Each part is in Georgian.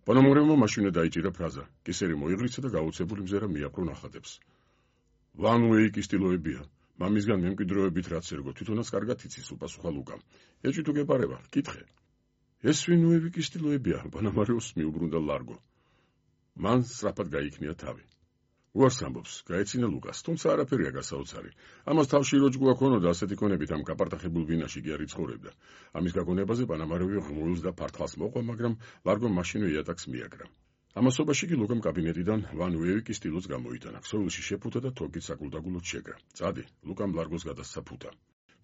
პანამარევმა მაშინვე დაიჭირა ფრაზა, კისერი მოიღრიცა და გაუცებული მზერა მიაპყრო ნახატებს. ვან უეიკის სტილოებია, მამისგან მემკვიდრეობით რაც ერგო, თვითონაც კარგად იცის, უპასუხა ლუკამ. ეჭვი თუ გეპარება, კითხე. ეს ვინ უეიკის სტილოებია, პანამარევს მიუბრუნდა ლარგო. მან სწრაფად გაიქნია თავი. უარს ამბობს, გაეცინა ლუკას, თუმცა არაფერია გასაოცარი. ამას თავში როჯგუა ქონოდა ასეთი კონებით ამ კაპარტახებულ ვინაში კი არ იცხოვრებდა. ამის გაგონებაზე პანამარევი ღმულს და ფართხალს მოყვა, მაგრამ ლარგომ მაშინვე იატაკს მიაგრა. ამასობაში კი ლუკამ კაბინეტიდან ვან უეიკის სტილოც გამოიტანა, ქსოვილში შეფუთა და თოკით საკულდაგულოდ შეკრა. წადი, ლუკამ ლარგოს გადასცა ფუთა.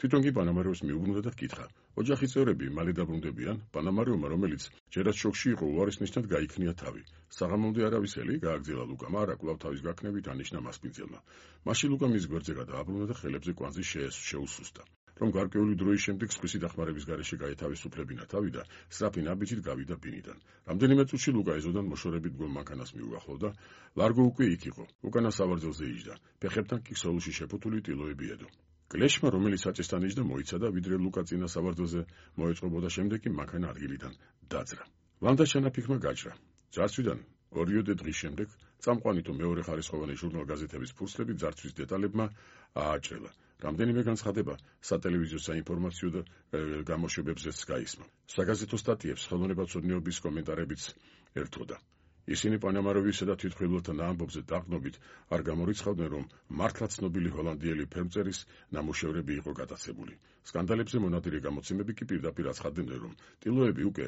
თვითონ კი პანამარევს მიუბრუნდა და კითხა. ოჯახის წევრები მალე დაბრუნდებიან, პანამარევმა, რომელიც ჯერაც შოკში იყო, უარის ნიშნად გაიქნია თავი. საღამომდე არავისელი გააგრძელა ლუკამ, არა კვლავ თავის გაქნებით ანიშნა მასპინძელმა. მაშინ ლუკამ მის გვერდზე გადააბრუნა და ხელებზე კვანძი შეუსუსტა. რომ გარკვეული დროის შემდეგ სხვისი დახმარების გარეშე გაეთავისუფლებინა თავი და სწრაფი ნაბიჯით გავიდა ბინიდან. რამდენიმე წუთში ლუკა ეზოდან მოშორებით დგომ მანქანას მიუახლოვდა, ლარგო უკვე იქ იყო, უკანა სავარძელზე იჯდა, ფეხებთან კი ქსოვილში შეფუთული ტილოები ედო. კლეშმა, რომელიც საჭესთან იჯდა, მოიცადა, ვიდრე ლუკა წინა სავარძელზე მოეწყობოდა, შემდეგ კი მანქანა ადგილიდან დაძრა. ვანდა ჩანაფიქმა გაჭრა. ძარცვიდან 2 დღის შემდეგ წამყვანი თუ მეორე ხარისხოვანი ჟურნალ-გაზეთების ფურცლები ძარცვის დეტალებმა ააჭრელა. რამდენიმე განცხადება სატელევიზიო საინფორმაციო და გამოშვებებზეც გაისმა. საგაზეთო სტატიებს ხელოვნებაცოდნეობის კომენტარებიც ერთვოდა. ისინი პანამარევისა და თვითმხილველთა ამბობზე დაყრდნობით არ გამორიცხავდნენ, რომ მართლა ცნობილი ჰოლანდიელი ფერმწერის ნამუშევრები იყო გატაცებული. სკანდალებზე მონადირე გამოცემები კი პირდაპირ აცხადებდნენ, რომ ტილოები უკვე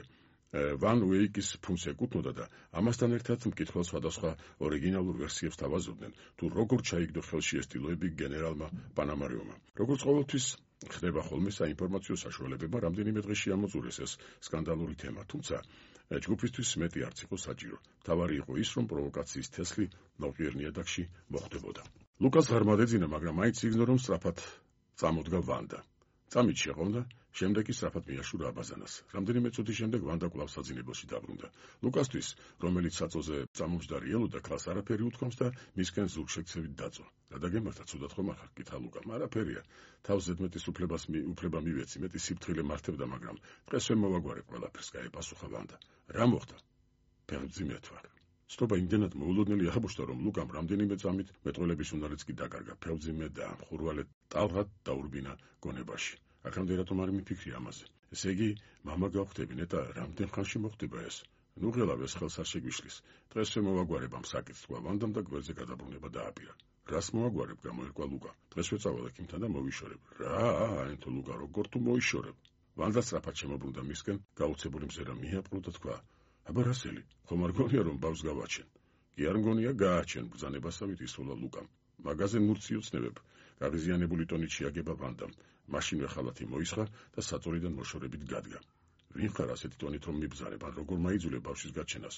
ვან უეიკის ფუნქს ეკუთვნოდა და ამასთან ერთად მკითხველს სხვადასხვა ორიგინალურ ვერსიებს თავაზობდნენ, თუ როგორ ჩაიგდო ხელში ეს ტილოები გენერალმა პანამარევმა. როგორც ყოველთვის ხდება ხოლმე საინფორმაციო საშუალებებმა რამდენიმე დღეში ამოწურეს ეს სკანდალური თემა, თუმცა ჯგუფისთვის მეტი არც იყო საჭირო. მთავარი იყო ის, რომ პროვოკაციის თესლი ნოყიერ ნიადაგში მოხდებოდა. ლუკას ღარმა დეძინა, მაგრამ მაინც იგნო, რომ სწრაფად წამოდგა ვანდა. წამით შეყოვდა, შემდეგ კი სწრაფად მიაშურა აბაზანას. რამდენიმე წუთის შემდეგ ვანდა კვლავ საძინებელში დაბრუნდა. ლუკასთვის, რომელიც საწოზე წამომჯდარი ელოდა, ქალს არაფერი უთქვამს და მისკენ ზურგშექცევით დაწვა. გადაგემართა, ცუდად ხომ ახარ, კითხა ლუკამ. არაფერია, თავს ზედმეტის უფლება მივეცი, მეტი სიფრთხილე მართებდა, მაგრამ დღეს ვერ მოვაგვარე ყველაფერს, გაეპასუხა ვანდა. რა მოხდა? ფეხმძიმედ ვარ. სწობა იმდენად მოულოდნელი აღმოჩნდა, რომ ლუკამ რამდენიმე წამით მეტყველების უნარიც კი დაკარგა, ფეხმძიმე და მხურვალე ტალღად დაურბინა გონებაში. აქამდე რატომ არ მიფიქრი ამაზე? ესე იგი, მამა გავხდები, ნეტა, რამდენ ხანში მოხდება ეს? ნუ ღელავ, ეს ხელს არ შეგვიშლის. დღეს ვერ მოვაგვარებ ამ საკითხს, თქვა ვანდამ და გვერდზე გადაბრუნება დააპირა. რას მოვაგვარებ, გამოერკვა ლუკა. დღეს ვეწავალ ექიმთან და მოვიშორებ. რა, აენთო ლუკა, როგორ თუ მოიშორებ? ვანდა სწრაფად შემოbrunდა მისკენ, გაუცებული მზერა მიაპყრო და თქვა: აბა რასელი, ხომ არ გონია რომ ბავს გავაჩენ? კი არ მგონია გააჩენ, ბრძანებასავით ისროლა ლუკამ. მაგაზე მურცი უცნებებ, გაღიზიანებული ტონით შეაგება ვანდამ. მაშინვე ხალათი მოისხა და საწოლიდან მოშორებით გადგა. ვინ ხარ ასეთი ტონით რომ მიბრძანებ, ან როგორ მაიძულე ბავშვის გაჩენას?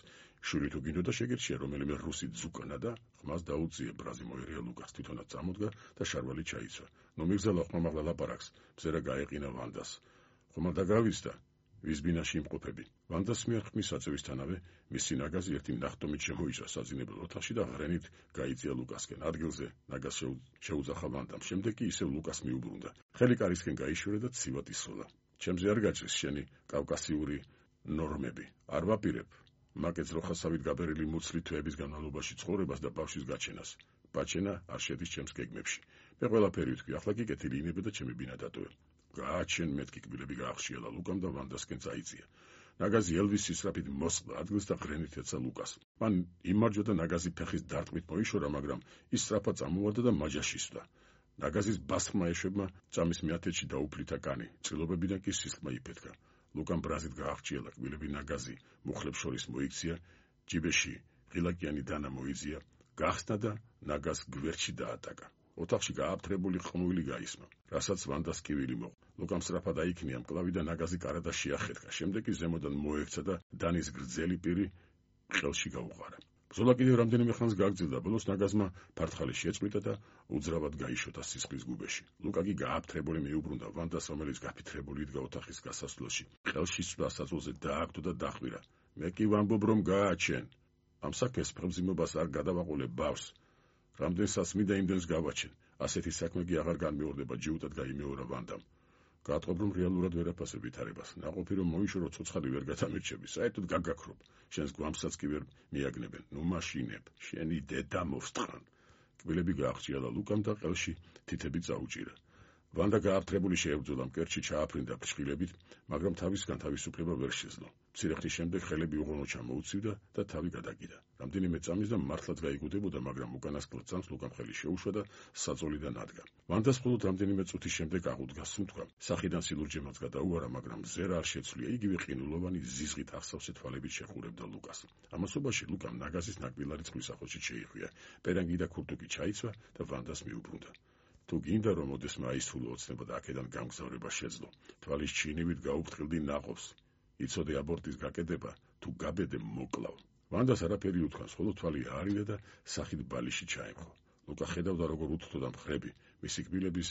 შვილი თუ გინდოდა შეგერჩია რომელიმე რუსი ძუკანა და ხმას დაუწიე, ბრაზი მოერია ლუკას, თვითონაც წამოდგა და შარვალი ჩაიცვა. ნუ მიგზალა ხმა მაღლა ლაპარაკს, მზერა გაეყინა ვანდას. ხომ არ დაგავიზდა? ვის ბინაში იმყოფები? ვანდას მიერ ხმის საწევისთანავე მისი ნაგაზი ერთი ნახტომით შემოიჭრა საძინებელ ოთახში და ღრენით გაიწია ლუკასკენ. ადგილზე ნაგაზ შეუძახა ვანდამ, შემდეგ კი ისევ ლუკას მიუბრუნდა. ხელი კარისკენ გაიშურა და ცივად ისროლა. ჩემზე არ გაჭრის შენი კავკასიური ნორმები. არ ვაპირებ. მაკეც როხასავით გაბერილი მუცლი თვეების განმავლობაში ცხოვრებას და ბავშვის გაჩენას. ბაჩენა არ შედის ჩემს გეგმებში. მე ყველაფერი ვთქვი, ახლა კი კეთილი ინებე და ჩემი ბინა დატოვე. გააჩენ მეთქი კბილები გაახშიალა ლუკამ და ვანდასკენ წაიწია. ნაგაზი ელვის სისწრაფით მოსყდა ადგილს და ღრენით ეცა ლუკას. მან იმარჯვა და ნაგაზი ფეხის დარტყმით მოიშორა, მაგრამ ის სწრაფად წამოვარდა და მაჯაში სვდა. ნაგაზის ბასხმა ეშვებმა წამის მეათეთში დაუფლითა კანი, წილობებიდან კი სისხლმა იფეთქა. ლუკამ ბრაზით გაახჭიალა კბილები, ნაგაზი მუხლებს შორის მოიქცია, ჯიბეში ღილაკიანი დანა მოიძია, გახსნა და ნაგაზს გვერდში დაატაკა. ოთახში გააფთრებული ყმუილი გაისმა, რასაც ვანდას კივილი მოყვა. ლუკამ სწრაფად აიქნია მკლავი და ნაგაზი კარადას შეახერხა. შემდეგ კი ზემოდან მოექცა და დანის გრძელი პირი ყელში გაუყარა. ბრძოლა კიდევ რამდენიმე ხანს გაგრძელდა, ბოლოს ნაგაზმა ფართხალი შეწყვიტა და უძრავად გაიშოთა სისხლის გუბეში. ლუკა კი გააფთრებული მიუბრუნდა ვანდას, რომელიც გაფითრებული იდგა ოთახის გასასვლელში. ყელში სვლა საწოლზე დააგდო და დახვირა. მე კი ვამბობ, რომ გააჩენ. ამ საქმეს ფხმძიმობას არ გადავაყოლებ ბავს. რამდენსაც მინდა იმდენს გავაჩენ. ასეთი საქმე კი აღარ განმეორდება, ჯიუტად გაიმეორა ვანდამ. გაათხოვ, რომ რეალურად ვერ აფასებ ვითარებას. ნაყოფი რომ მოიშორო ცოცხალი ვერ გადამირჩები, საერთოდ გაგაქრობ. შენს გვამსაც კი ვერ მიაგნებენ. ნუ მაშინებ, შენი დედა მოვსტყან. კბილები გააღჭიალა ლუკამ და ყელში თითები წაუჭირა. ვანდა გააფთრებული შეებრძოლა, მკერდში ჩააფრინდა ფრჩხილებით, მაგრამ თავისგან თავისუფლება ვერ შეძლო. მცირე ხნის შემდეგ ხელები უღონო ჩამოუცივდა და თავი გადაგიდა. რამდენიმე წამის და მართლაც გაიგუდებოდა, მაგრამ უკანასკნელ წამს ლუკამ ხელი შეუშვა და საწოლიდან ადგა. ვანდას მხოლოდ რამდენიმე წუთის შემდეგ აღუდგა სუნთქვა. სახიდან სილურჯემაც გადაუარა, მაგრამ ზერა არ შეცვლია. იგივე ყინულოვანი ზიზღით ახსავსე თვალებით შეხურებდა ლუკას. ამასობაში ლუკამ ნაგაზის ნაკბილარი წყლის ახოჩით შეიხვია. პერანგი და ქურთუკი ჩაიცვა და ვანდას მიუბრუნდა. თუ გინდა რომ ოდესმა აისრულო ოცნება და აქედან გამგზავრება შეძლო, თვალის ჩინივით გაუფრთხილდი ნაყოფს. იცოდე აბორტის გაკეთება, თუ გაბედე მოკლავ. ვანდას არაფერი უთქვას, ხოლო თვალი აარიდა და სახით ბალიში ჩაემხო. ლუკა ხედავდა როგორ უთრთოდა მხრები, მისი კბილების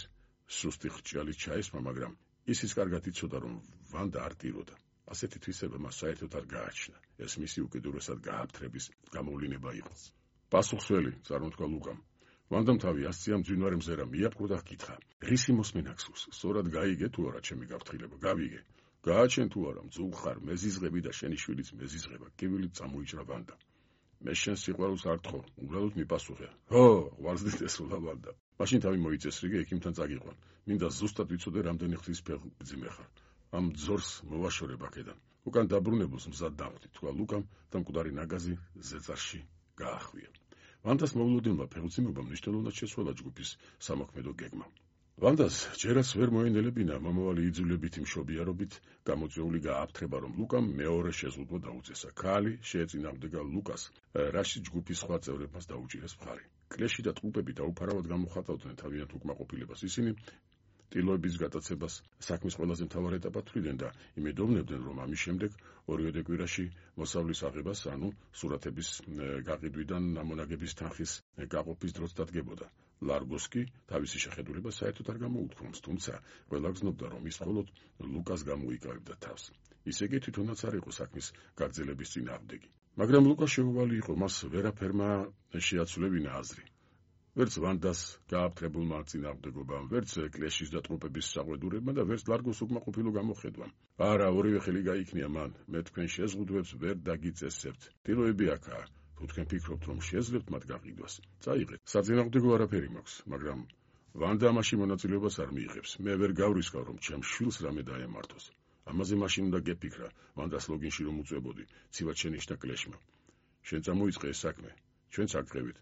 სუსტი ხრჭიალით ჩაესმა, მაგრამ ისიც კარგად იცოდა, რომ ვანდა არ ტიროდა. ასეთი თვისება მას საერთოდ არ გააჩნდა. ეს მისი უკიდურესად გააფთრების გამოვლინება იყო. პასუხსველი, წარმოთქვა ლუკამ. ვანდამ თავი ასწია მძვინვარე მზერა მიაპყრო და ჰკითხა: რისი მოსმენა გსურს? სწორად გაიგე თუ არა ჩემი გაფრთხილება? გავიგე. გააჩენ თუ არა, მძუხარ, მეზიზღები და შენი შვილიც მეზიზღება. კიბილით წამოიჭრა ვანდა. მე შენს სიყვარულს არ თხოვ, უბრალოდ მიპასუხე. ხო, ღვარზდით ესროლა ვანდა. მაშინ თავი მოიწესრიგე, ექიმთან წაგიყვან. მინდა ზუსტად ვიცოდე, რამდენი ხნის ფეხბძიმე ხარ. ამ ძორს მოვაშორებ აქედან. უკან დაბრუნებულს მზად დავხდი, თქვა ლუკამ და მკვდარი ნაგაზი ზეწარში გაახვია. ვანდას მოულოდნელმა ფეხბძიმებამ მნიშვნელოვნად შეცვალა ჯგუფის სამოქმედო გეგმა. ვანდას ჯერაც ვერ მოენელებინა მომავალი იძულებითი მშობიარობით გამოწვეული გააფთრება, რომ ლუკამ მეორე შეზღუდვა დაუწესა. ქალი შეეწინააღმდეგა ლუკას, რაშიც ჯგუფის სხვა წევრებმაც დაუჭირეს მხარი. კლეში და ტყუპები დაუფარავად გამოხატავდნენ თავიანთ უკმაყოფილებას. ისინი ტილოების გატაცებას საქმის ყველაზე მთავარ ეტაპად თვლიდნენ და იმედოვნებდნენ, რომ ამის შემდეგ ორივე კვირაში მოსავლის აღებას, ანუ სურათების გაყიდვიდან ამონაგების თანხის გაყოფის დროც დადგებოდა. ლარგოს კი თავისი შეხედულება საერთოდ არ გამოუთქვამს, თუმცა ყველა გზნობდა, რომ ის მხოლოდ ლუკას გამოიკავებდა თავს. ისე კი თვითონაც არ იყო საქმის გაგრძელების წინააღმდეგი. მაგრამ ლუკა შეუვალი იყო, მას ვერაფერმა შეაცვლებინა აზრი. ვერც ვანდას გააფთრებულმა წინააღმდეგობამ, ვერც კლეშის და ტყუპების საყვედურებმა და ვერც ლარგოს უკმაყოფილო გამოხედვამ. არა, ორივე ხელი გაიქნია მან. მე თქვენ შეზღუდვებს ვერ დაგიწესებთ. ტილოები აქაა. თუ თქვენ ფიქრობთ, რომ შეძლებთ მათ გაყიდვას, წაიღეთ. საწინააღმდეგო არაფერი მაქვს, მაგრამ ვანდა ამაში მონაწილეობას არ მიიღებს. მე ვერ გავრისკავ, რომ ჩემს შვილს რამე დაემართოს. ამაზე მაშინ უნდა გეფიქრა, ვანდას ლოგინში რომ უწევოდი, ცივად შენიშნა კლეშმა. შენ წამოიწყე ეს საქმე, ჩვენც აგყევით.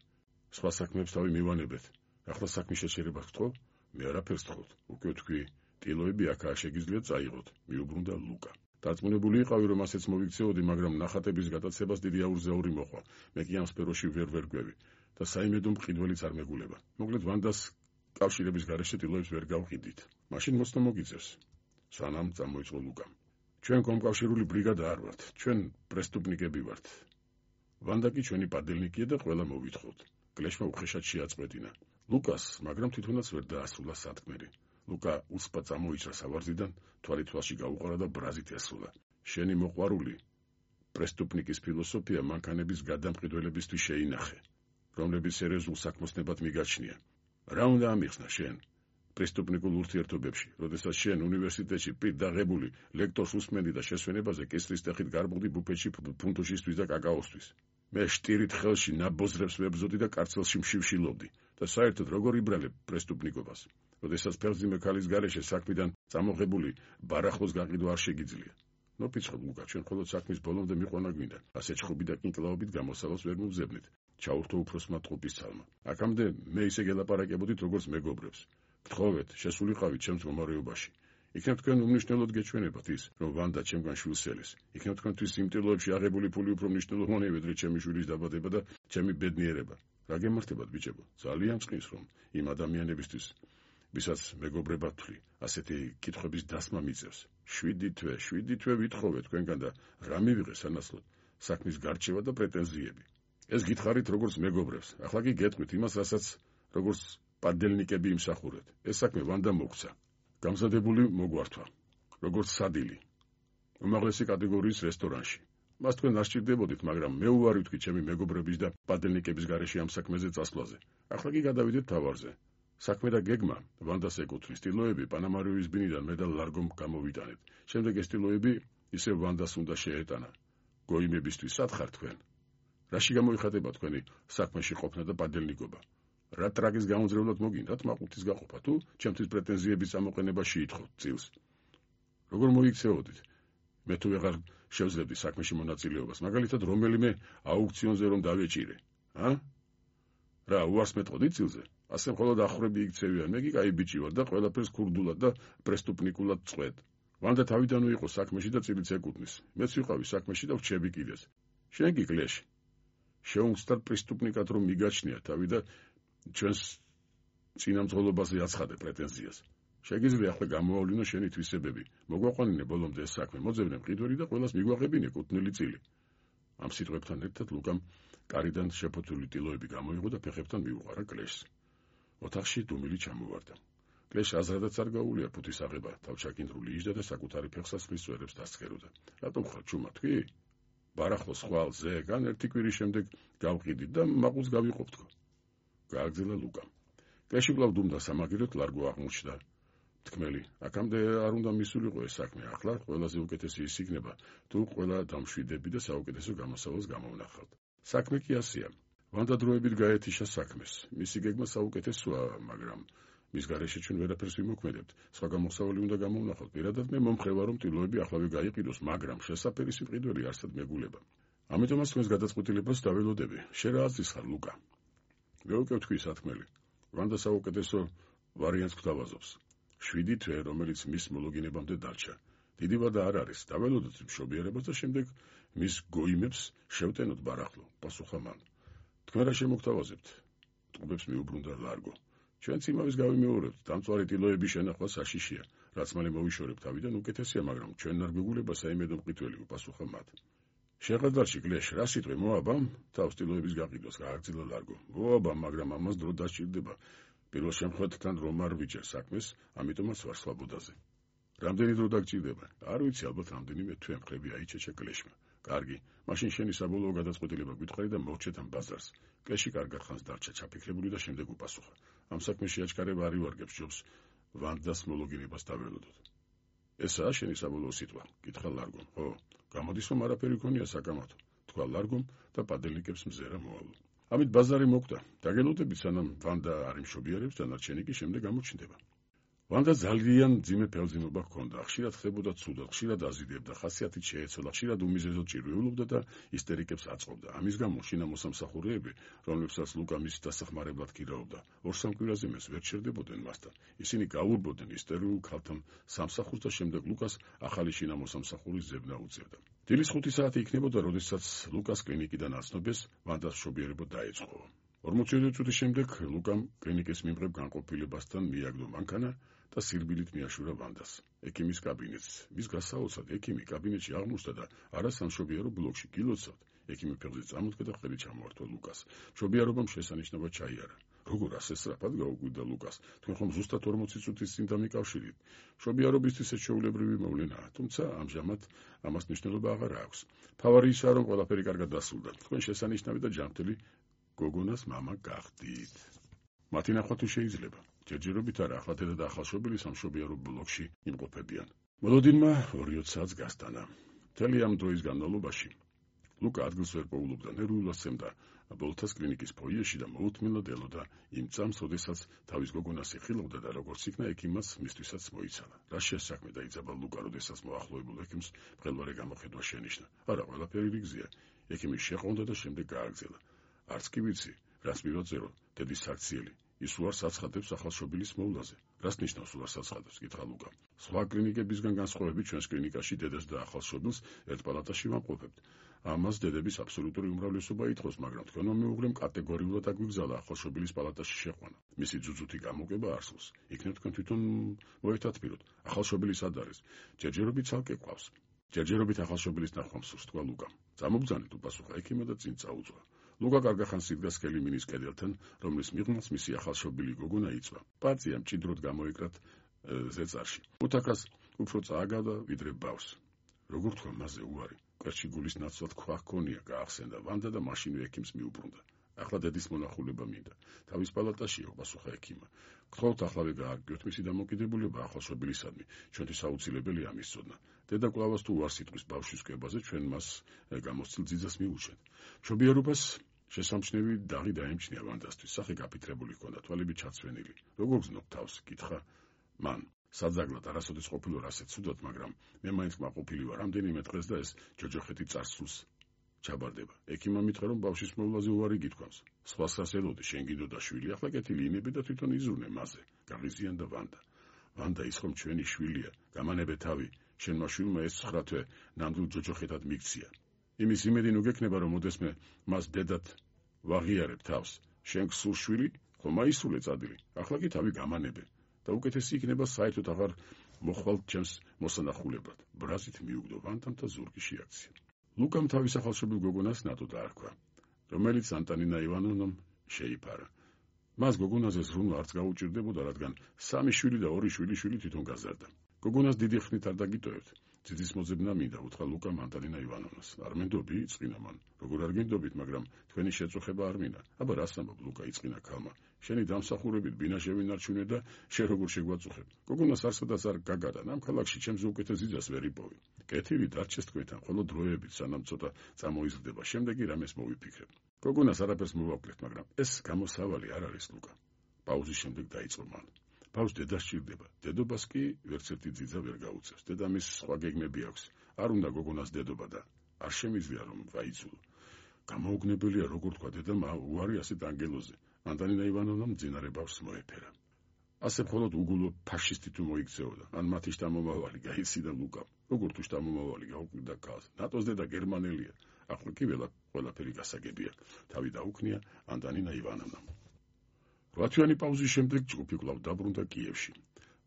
სხვა საქმეებს თავი მივანებეთ. ახლა საქმის შეჩერებას გთხოვ? მე არაფერს გთხოვთ. უკვე თქვი, ტილოები აქაა, შეგიძლიათ წაიღოთ. მიუბრუნდა ლუკა. დარწმუნებული იყავი, რომ ასეც მოვიქცეოდი, მაგრამ ნახატების გატაცებას დიდი აურზაური მოყვა. მე კი ამ სფეროში ვერ გვევი და საიმედო მყიდველიც არ მეგულება. მოკლედ ვანდას კავშირების გარეშე ტილოებს ვერ გავყიდით. მაშინ მოცნო მოგიწევს. სანამ წამოიწყო ლუკამ. ჩვენ კომკავშირული ბრიგადა არ ვართ, ჩვენ პრესტუპნიკები ვართ. ვანდა კი ჩვენი პადელნიკია და ყველა მოვითხოვთ. კლეშმა უხეშად შეაწყვეტინა. ლუკას, მაგრამ თვითონაც ვერ დაასრულა სათქმელი. ლუკა უცბად წამოიჭრა სავარზიდან, თვალი თვალში გაუყარა და ბრაზით ესრულა. შენი მოყვარული პრესტუპნიკის ფილოსოფია მანქანების გადამყიდველებისთვის შეინახე, რომლებიც სერიოზულ საქმოსნებად მიგაჩნია. რა უნდა ამიხსნა შენ პრესტუპნიკულ ურთიერთობებში, როდესაც შენ უნივერსიტეტში პირდაღებული ლექტორს უსმენდი და შესვენებაზე კისრის ტეხით გარბუხდი ბუფეტში ფუნტუშისთვის და კაკაოსთვის. მე შტირით ხელში ნაბოზრებს ვებზოდი და კარცელში მშივშილობდი და საერთოდ როგორ იბრალებ პრესტუპნიკობას, როდესაც ფეხბძიმე ქალის გარეშე საქმიდან წამოღებული ბარახლოს გაყიდვა არ შეგიძლია. ნოფიცხობ ლუკა, ჩვენ მხოლოდ საქმის ბოლომდე მიყვანა გვინდა. ასე ჩხუბი და კინკლაობით გამოსავალს ვერ მოვზებნით. ჩაურთო უფროსმა ტყუპის ცალმა. აქამდე მე ისე გელაპარაკებოდით, როგორც მეგობრებს. გთხოვეთ, შესულიყავით ჩემს მომარეობაში. იქნებ თქვენ უმნიშვნელოდ გეჩვენებათ ის, რომ ვანდა ჩემგან შვილს ელის. იქნებ თქვენთვის იმ ტილოებში აღებული ფული უფრო მნიშვნელოვანია, ვიდრე ჩემი შვილის დაბადება და ჩემი ბედნიერება. რა გემართებათ, ბიჭებო? ძალიან წყინს, რომ იმ ადამიანებისთვის, ვისაც მეგობრებად თვლი, ასეთი კითხვების დასმა მიწევს. 7 თვე ვითხოვე თქვენგან და რა მივიღე სანაცვლოდ? საქმის გარჩევა და პრეტენზიები. ეს გითხარით როგორც მეგობრებს. ახლა კი გეტყვით იმას, რასაც როგორც პადელნიკები იმსახურეთ. ეს საქმე ვანდა მოგცა. გამზადებული მოგვართვა, როგორც სადილი. უმაღლესი კატეგორიის რესტორანში. მას თქვენ არ სჭირდებოდით, მაგრამ მე უარი ვთქვი ჩემი მეგობრების და პადელნიკების გარეშე ამ საქმეზე წასვლაზე. ახლა კი გადავიდეთ თავარზე. საქმე და გეგმა ვანდას ეკუთვნის. ტილოები პანამარიუის ბინიდან მედალ ლარგომ გამოვიტანეთ. შემდეგ ეს ტილოები ისევ ვანდას უნდა შეეტანა. გოიმებისთვის სათხარ თქვენ. რაში გამოიხატება თქვენი საქმეში ყოფნა და პადელნიკობა? რა ტრაგის გამოძრევლად მოგინდათ მაყურთის გაყოფა თუ ჩემთვის პრეტენზიების წამოყენება შეითხოვთ წილს? როგორ მოიქცეოდით? მე თუ ვეღარ შევძლებდი საქმეში მონაწილეობას, მაგალითად რომელიმე აუქციონზე რომ დავეჭირე, რა უარს მეტყოდით წილზე? ასე მხოლოდ ახვრები იქცევიან, მე კი კაი ბიჭი ვარ და ყველაფერს ქურდულად და პრესტუპნიკულად წვეთ. ვანდა თავიდანვე იყო საქმეში და წილიც ეკუთვნის. მეც ვიყავი საქმეში და ვჩები კიდეც. შენ კი კლეში. შეუმცდარ პრესტუპნიკად რომ მიგაჩნია თავი და ჩვენს წინამძღოლობაზე აცხადე პრეტენზიას. შეგიძლია ახლა გამოავლინო შენი თვისებები. მოგვაყვანინე ბოლომდე ეს საქმე, მოძებნე მყიდველი და ყველას მიგვაყებინე კუთვნილი წილი. ამ სიტყვებთან ერთად ლუკამ კარიდან შეფოთული ტილოები გამოიღო და ფეხებთან მიუყარა კლეშს. ოთახში დუმილი ჩამოვარდა. კლეშ აზრადაც არ გაუვლია ფუთის აღება, თავჩაკინდრული იჯდა და საკუთარი ფეხსაცმლის წვერებს დასცქეროდა. რატომ ხარ ჩუმა თქვი? ბარახლოს ხვალ ზეგან ერთი კვირის შემდეგ გავყიდით და მაყულს გავიყოფ თქო. გააგრძელა ლუკამ. კლეში კვლავ დუმდა სამაგიეროდ ლარგო აღმოჩნდა. თქმელი, აქამდე არ უნდა მისულიყო ეს საქმე, ახლა ყველაზე უკეთესი ის იქნება, თუ ყველა დამშვიდები და საუკეთესო გამოსავალს გამოვნახავთ. საქმე კი ასეა. ვანდა დროებით გაეთიშა საქმეს. მისი გეგმა საუკეთესოა, მაგრამ მის გარეშე ჩვენ ვერაფერს ვიმოქმედებთ. სხვა გამოსავალი უნდა გამოვნახოთ. პირადად მე მომხრე ვარ, რომ ტილოები ახლავე გაიყიდოს, მაგრამ შესაფერი სიმყიდველი არსად მეგულება. ამიტომაც თქვენს გადაწყვეტილებას დაველოდები. შენ რა აზრის ხარ, ლუკა? მე უკვე ვთქვი სათქმელი. ვანდა საუკეთესო ვარიანტს გვთავაზობს. 7 თვე, რომელიც მის მოლოგინებამდე დარჩა. დიდი ვადა არ არის. დაველოდოთ მშობიერებას და შემდეგ მის გოიმებს შევტენოთ ბარახლო, პასუხა მან. თქვენ რა შემოგთავაზებთ? ტყუბებს მიუბრუნდა ლარგო. ჩვენც იმავის გავიმეორებთ, დამწვარი ტილოების შენახვა საშიშია, რაც მალე მოვიშორებთ თავიდან უკეთესია, მაგრამ ჩვენ არ გვეგულება საიმედო მყიდველი, უპასუხა მათ. შეღადარში კლეშ, რა სიტყვი მოაბა? თავს ტილოების გაყიდვას გააგრძელა ლარგო. მოაბა, მაგრამ ამას დრო დასჭირდება. პირველ შემთხვევაში რომ არ ვიჭერ საქმეს, ამიტომაც ვარ სვაბოდაზე. რამდენი დრო დაგჭირდება? არ ვიცი, ალბათ რამდენიმე თვე მხრები აიჩეჩა კლეშმა. კარგი, მაშინ შენი საბოლოო გადაწყვეტილება გითხარი და მოვჩეთ ამ ბაზარს. კლეში კარგად ხანს დარჩა ჩაფიქრებული და შემდეგ უპასუხა. ამ საქმეში აჩქარება არ ივარგებს ჯობს ვანდას მოლოგინებას დაველოდოთ. ესაა შენი საბოლოო სიტყვა? კითხა ლარგომ. ხო, გამოდის რომ არაფერი გქონია საკამათო, თქვა ლარგომ და პადელნიკებს მზერა მოალო. ამით ბაზარი მოკვდა. დაგელოდებით სანამ ვანდა არ იმშობიარებს, დანარჩენი კი შემდეგ გამოჩნდება. ვანდა ძალიან მძიმე ფელძიმობა ჰქონდა, ხშირად ხდებოდა ცუდად, ხშირად აზიდებდა, ხასიათით შეეცვალა, ხშირად უმიზეზოდ ჭირვეულობდა და ისტერიკებს აწყობდა. ამის გამო შინა მოსამსახურეები, რომლებსაც ლუკა მის დასახმარებლად კირაობდა, 2-3 კვირაზე მეს ვერ ჩერდებოდნენ მასთან. ისინი გაურბოდნენ ისტორიულ ქალთან სამსახურს და შემდეგ ლუკას ახალი შინა მოსამსახურის ზებნა უწევდა. დილის 5 საათი იქნებოდა, როდესაც ლუკას კლინიკიდან აცნობეს, ვანდას მშობიერება დაეწყო. 40 წუთის შემდეგ ლუკამ კლინიკის მიმღებ განყოფილებასთან მიაგდო მანქანა და სირბილით მიაშურა ვანდას ექიმის კაბინეტს. მის გასაოცრად ექიმი კაბინეტში აღმოჩნდა და არა სამშობიარო ბლოკში გილოცავთ. ექიმი ფეხზე წამოდგა და ხელი ჩამოართვა ლუკას. მშობიარობამ შესანიშნავად ჩაიარა. როგორ ასე სწრაფად გაუკვირდა ლუკას? თქვენ ხომ ზუსტად 40 წუთის წინ დამიკავშირით? მშობიარობისთვის ეს ჩვეულებრივი მოვლენაა, თუმცა ამჟამად ამას მნიშვნელობა აღარ აქვს. თავარი ისაა, რომ ყველაფერი კარგად დასრულდა. თქვენ შესანიშნავი და ჯანმრთელი გოგონას მამა გახდით. მათი ნახვა თუ შეიძლება. ჯერჯერობით არა, ახლა დედა და ახალშობილი სამშობიარო ბლოკში იმყოფებიან. მოლოდინმა 2 საათს გასტანა. მთელი ამ დროის განმავლობაში ლუკა ადგილს ვერ პოულობდა, ნერვულად სცემდა ბოლთას კლინიკის ფოიეში და მოუთმენლად ელოდა იმ წამს, როდესაც თავის გოგონას ეხილავდა და როგორც იქნა ექიმაც მისთვისაც მოიცალა. რა შესაქმე დაიძაბა ლუკა, როდესაც მოახლოებულ ექიმს მყელვარე გამოხედვა შენიშნა. არა, ყველაფერი რიგზია. ექიმი შეყონდა და შემდეგ გააგრძელა. არც კი ვიცი, რას მივაწერო, დედის საქციელი. ის უარს აცხადებს ახალშობილის მოვლაზე. რას ნიშნავს უარს აცხადებს? კითხა ლუკა. სხვა კლინიკებისგან განსხვავებით ჩვენს კლინიკაში დედას და ახალშობილს ერთ პალატაში ვამყოფებთ. ამას დედების აბსოლუტური უმრავლესობა ითხოვს, მაგრამ თქვენმა მეუღლემ კატეგორიულად აგვიგზავნა ახალშობილის პალატაში შეყვანა. მისი ძუძუთი გამოგება არსულს. იქნებ თქვენ თვითონ მოეთათბიროთ. ახალშობილი სად არის? ჯერჯერობით ცალკე ყავს. ჯერჯერობით ახალშობილის ნახვა მსურს, თქვა ლუკამ. წამობძანეთ, უპასუხა ექიმმა და წინ წაუძღვა. ლუკა კარგახანს იდგა სკელი მინის კედელთან, რომლის მიღმაც მისი ახალშობილი გოგონა იწვა. პარტია მჭიდროდ გამოიკრათ ზეწარში. უთაკას უფრო წააგავდა ვიდრე ბავს. როგორ თქვა მასზე უარი? კვერჩი გულის ნაცვლად ქვა ჰქონია, გაახსენდა ვანდა და მაშინვე ექიმს მიუბრუნდა. ახლა დედის მონახულება მინდა. თავის პალატაშია, პასუხა ექიმმა. გთხოვთ ახლავე გააგრძელოთ მისი დამოკიდებულება ახალშობილისადმი. ჩვენთვის აუცილებელია ამის ცოდნა. დედა კვლავაც თუ არ სიტყვის ბავშვის კვებაზე, ჩვენ მას გამოსცილ ძიძას მიუჩვენთ. მშობიარობას შესამჩნევი დაღი დაემჩნია ვანდასთვის. სახე გაფიქრებული ჰქონდა, თვალები ჩაცვენილი. როგორ გზნობ თავს? კითხა მან. საძაგლად არასოდეს ყოფილვარ ასეთ ცუდად, მაგრამ მე მაინც კმაყოფილი ვარ. რამდენიმე დღეს და ეს ჯოჯოხეთი წარსულს ჩაბარდება. ექიმმა მითხრა, რომ ბავშვის მოვლაზე უარი გითქვამს. სხვას რას ელოდი, შენ გინდოდა შვილი, ახლა კეთილი იმები და თვითონ იზრუნე მასზე. გაღიზიანდა ვანდა. ვანდა ის ხომ ჩვენი შვილია, გამანებე თავი. შენმა შვილმა ეს 9 თვე ნამდვილ ჯოჯოხეთად მიქცია. იმის იმედი ნუ გექნება, რომ მოდესმე მას დედად ვაღიარებ თავს. შენ გსულ შვილი, ხომ აისრულე წადილი. ახლა კი თავი გამანებე. და უკეთესი იქნება საერთოდ აღარ მოხვალ ჩემს მოსანახულებად. ბრაზით მიუგდო ვანდამ და ზურგი შეაქცია. ლუკამ თავის ახალშობილ გოგონას ნატო დაარქვა, რომელიც ანტანინა ივანოვნამ შეიფარა. მას გოგონაზე ზრუნვა არც გაუჭირდებოდა, რადგან 3 შვილი და 2 შვილიშვილი თვითონ გაზარდა. გოგონას დიდი ხნით არ დაგიტოვებთ. ძიძის მოძებნა მინდა, უთხრა ლუკამ ანტანინა ივანოვნას. არ მენდობი? იწყინა მან. როგორ არ გენდობით, მაგრამ თქვენი შეწუხება არ მინდა. აბა რას ამბობ? ლუკა იწყინა ქალმა. შენი დამსახურებით ბინა შევინარჩუნე და შენ როგორ შეგვაწუხებ? გოგონას არსადაც არ გაგადა, ამ ქალაქში ჩემზე უკეთეს ძიძას ვერ იპოვი. კეთილი დარჩეს თქვენთან, ხოლო დროებით სანამ ცოტა წამოიზრდება, შემდეგი რამეს მოვიფიქრებ. გოგონას არაფერს მოვაკლეთ, მაგრამ ეს გამოსავალი არ არის ლუკა. პაუზის შემდეგ დაიწყო მან. ბავშვს დედა სჭირდება, დედობას კი ვერც ერთი ძიძა ვერ გაუწევს. დედამის სხვა გეგმები აქვს. არ უნდა გოგონას დედობა და არ შემიძლია რომ გაიცულო. გამოუგნებელია, როგორ თქვა დედამ უარი ასეთ ანგელოზე. ანტანინა ივანოვნამ მძინარე ბავშვს მოეფერა. ასე მხოლოდ უგულო ფაშისტი თუ მოიქცეოდა, ან მათი შთამომავალი გაიციდა ლუკამ. როგორ თუ შთამომავალი გაუკვირდა ქალს. ნატოს დედა გერმანელია. ახლა კი ყველაფერი გასაგებია. თავი დაუქნია ანტანინა ივანოვნამ. 8 თვიანი პაუზის შემდეგ ჯგუფი კვლავ დაბრუნდა კიევში.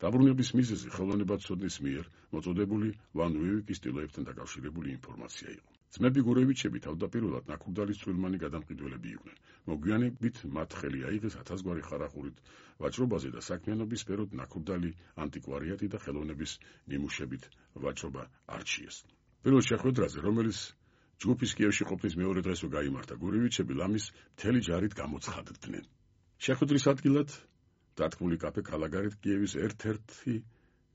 დაბრუნების მიზეზი ხელოვნებაცოდნის მიერ მოწოდებული ვან უივიკის ტილოებთან დაკავშირებული ინფორმაცია იყო. ძმები გურევიჩები თავდაპირველად ნაკურდალის წვრილმანი გადამყიდველები იყვნენ. მოგვიანებით მათ ხელი აიღეს 1000 გვარი ხარახურით ვაჭრობაზე და საქმიანობის სფეროდ ნაკურდალი ანტიკვარიატი და ხელოვნების ნიმუშებით ვაჭრობა არჩიეს. პირველ შეხვედრაზე, რომელიც ჯგუფის კიევში ყოფნის მეორე დღესვე გაიმართა, გურევიჩები ლამის მთელი ჯარით გამოცხადდნენ. შეხვედრის ადგილად დათქმული კაფე კალაგარით კიევის ერთ-ერთი